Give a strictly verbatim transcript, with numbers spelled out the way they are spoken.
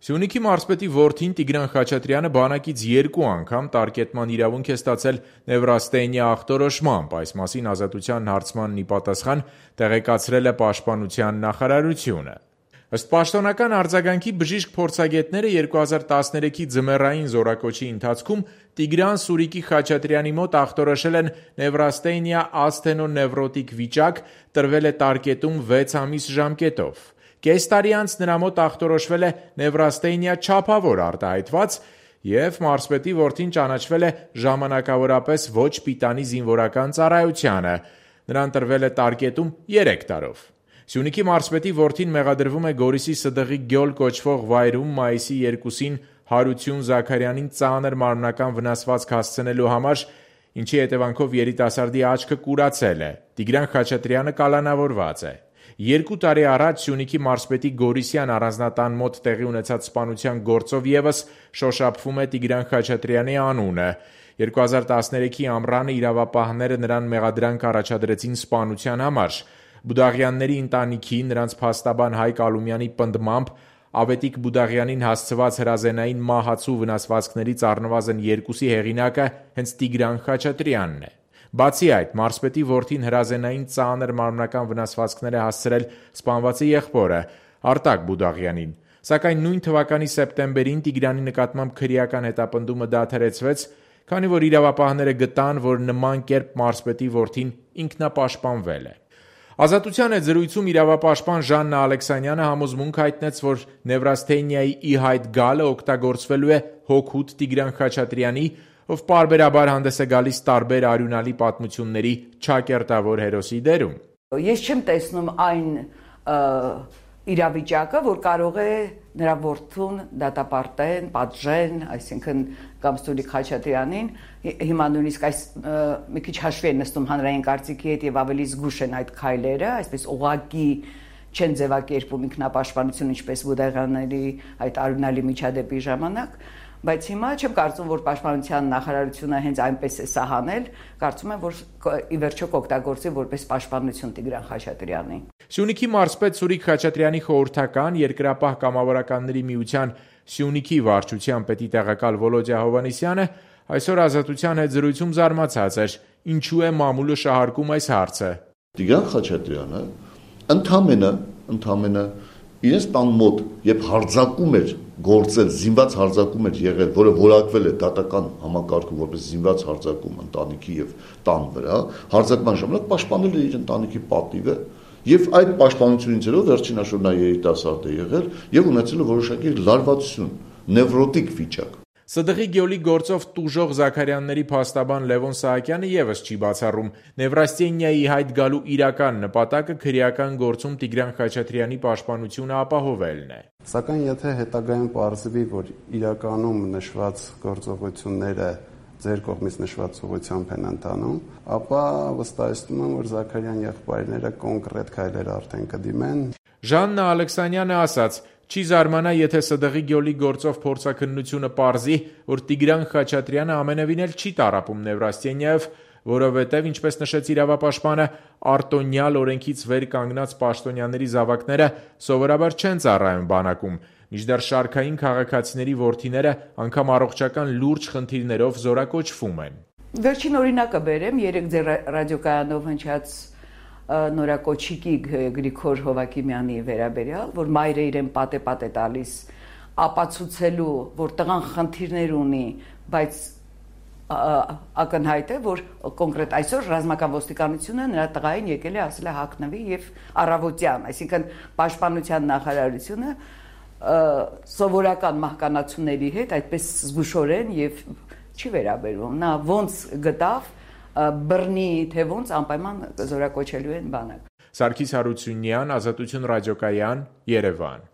Սյունիքի մարզպետի որդին Տիգրան Խաչատրյանը բանակից երկու անգամ տարկետման իրավունք է ստացել նևրաստենիա ախտորոշմամբ, այս մասին Ազատության հարցմանն ի պատասխան տեղեկացրել է Պաշտպանության նախարարությունը։ Ըստ պաշտոնական արձագանքի բժիշկ փորձագետները երկու հազար տասներեքի ձմեռային զորակոչի ընթացքում Տիգրան Սուրիկի Խաչատրյանի մոտ ախտորոշել են նևրաստենիա ասթենոնևրոտիկ վիճակ, տրվել է տարկետում վեց ամիս ժամկետով։ Կես տարի անց նրա մոտ ախտորոշվել է նևրաստենիա չափավոր արտահայտված և մարզպետի որդին ճանաչվել է ժամանակավորապես ոչ պիտանի զինվորական ծառայությանը, նրան տրվել է տարկետում երեք տարով։ Սյունիքի մարզպետի որդին մեղադրվում է Գորիսի Սդղի Գյոլ կոչվող վայրում մայիսի երկուսին Հարություն Զաքարյանին ծանր մարմնական վնասվածք հասցնելու համար, ինչի հետևանքով երիտասարդի աչքը կուրացել է։ Տիգրան Խաչատրյանը կալանավորված է։ Երկու տարի առաջ Սյունիքի մարզպետի Գորիսյան առանձնատան մոտ տեղի ունեցած սպանության գործով ևս շոշափվում է Տիգրան Խաչատրյանի անունը։ երկու հազար տասներեքի ամռանը իրավապահները նրան մեղադրանք առաջադրեցին սպանության համար։ Բուդաղյանների ընտանիքի, նրանց փաստաբան Հայկ Ալումյանի պնդմամբ Ավետիք Բուդաղյանին հասցված հրազենային մահացու վնասվածքներից առնվազն երկուսի հեղինակը հենց Տիգրան Խաչատրյանն է։ Բացի այդ, մարզպետի որդին հրազենային ծանր մարմնական վնասվածքներ է հասցրել սպանվածի եղբորը Արտակ Բուդաղյանին, սակայն նույն թվականի սեպտեմբերին Տիգրանի նկատմամբ քրեական հետապնդումը դադարեցվեց, քանի որ իրավապահները գտան, որ նման կերպ մարզպետի որդին ինքնապաշտպանվել է։ Ազատության հետ զրույցում իրավապաշտպան Ժաննա Ալեքսանյանը համոզմունք հայտնեց, որ նևրաստենիայի ի հայտ գալը օգտագործվելու է հօգուտ Տիգրան Խաչատրյանի, ով պարբերաբար հանդես է գալիս տարբեր արյունալի պատմությունների չակերտավոր հերոսի դերում։ Ես չեմ տեսնում այն իրավիճակը, որ կարող է նրա որդուն դատապարտեն, պատժեն, այսինքն կամ Սուրիկ Խաչատրյանին, հիմա նույնիսկ այս մի քիչ հաշվի են նստում հանրային կարծիքի հետ եւ ավելի զգուշ են այդ քայլերը, այսպես ուղղակի չեն ձևակերպում ինքնապաշտպանություն, ինչպես Բուդաղյանների այդ արյունալի միջադեպի ժամանակ, բայց հիմա չեմ կարծում, որ Պաշտպանության նախարարությունը հենց այնպես է սահանել, կարծում եմ, որ ի վերջո կօգտագործի որպես պաշտպանություն Տիգրան Խաչատրյանի։ Սյունիքի մարզպետ Սուրիկ Խաչատրյանի խորհրդական Երկրապահ կամավորականների միության Սյունիքի վարչության պետի տեղակալ Վոլոդյա Հովհաննիսյանը այսօր Ազատության հետ զրույցում զարմացած էր, ինչու է մամուլը շահարկում այս հարցը։ Տիգրան Խաչատրյանը ընդամենը, ընդամենը իրենց տան մոտ, երբ հարձակում էր գործել, զինված հարձակում էր եղել, որը որակվել է դատական համակարգում որպես զինված հարձակում ընտանիքի եւ տան վրա, հարձակման ժամանակ պաշտպանել է իր ընտանիքի պատիվը եւ այդ պաշտպանությունից հետո վերջին հաշվով նա երիտասարդ է եղել եւ ունեցել է որոշակի լարվածություն, նևրոտիկ վիճակ։ Սդղի Գյոլի գործով տուժող Զաքարյանների փաստաբան Լևոն Սահակյանը ևս չի բացառում նևրաստենիայի հայտ գալու իրական նպատակը քրեական գործում Տիգրան Խաչատրյանի պաշտպանությունը ապահովելն է։ Սակայն եթե հետագայում պարզվի, որ իրականում նշված գործողությունները ձեր կողմից նշված ուղղությամբ են ընթանում, ապա վստահեցնում եմ, որ Զաքարյան եղբայրները կոնկրետ քայլեր արդեն կդիմեն։ Ժաննա Ալեքսանյանը ասաց. Չի զարմանա, եթե Սդղի Գյոլի գործով փորձաքննությունը պարզի, որ Տիգրան Խաչատրյանը ամենևին էլ չի տառապում Նևրաստենիայով, որովհետև, ինչպես նշեց իրավապաշտպանը, արտոնյալ օրենքից վեր կանգնած պաշտոնյաների զավակները սովորաբար չեն ծառայում բանակում, մինչդեռ շարքային քաղաքացիների որդիները անգամ առողջական լուրջ խնդիրներով զորակոչվում են։ Վերջին օրինակը բերեմ, երեք ձեր ռադիոկայանով հնչած նորակոչիկի Գրիգոր Հովակիմյանի վերաբերյալ, որ մայրը իրեն պատե-պատե տալիս ապացուցելու, որ տղան խնդիրներ ունի, բայց ակնհայտ է, որ կոնկրետ այսօր ռազմական ոստիկանությունը նրա տղային եկել է ասել է հագնվի եւ առավոտյան, այսինքն Պաշտպանության նախարարությունը սովորական մահկանացուների հետ այդպես զգուշորեն եւ չի վերաբերվում։ Նա ոնց գտավ բռնի թե ոնց անպայման զորակոչելու են բանակ։ Սարգիս Հարությունյան, Ազատություն ռադիոկայան, Երևան։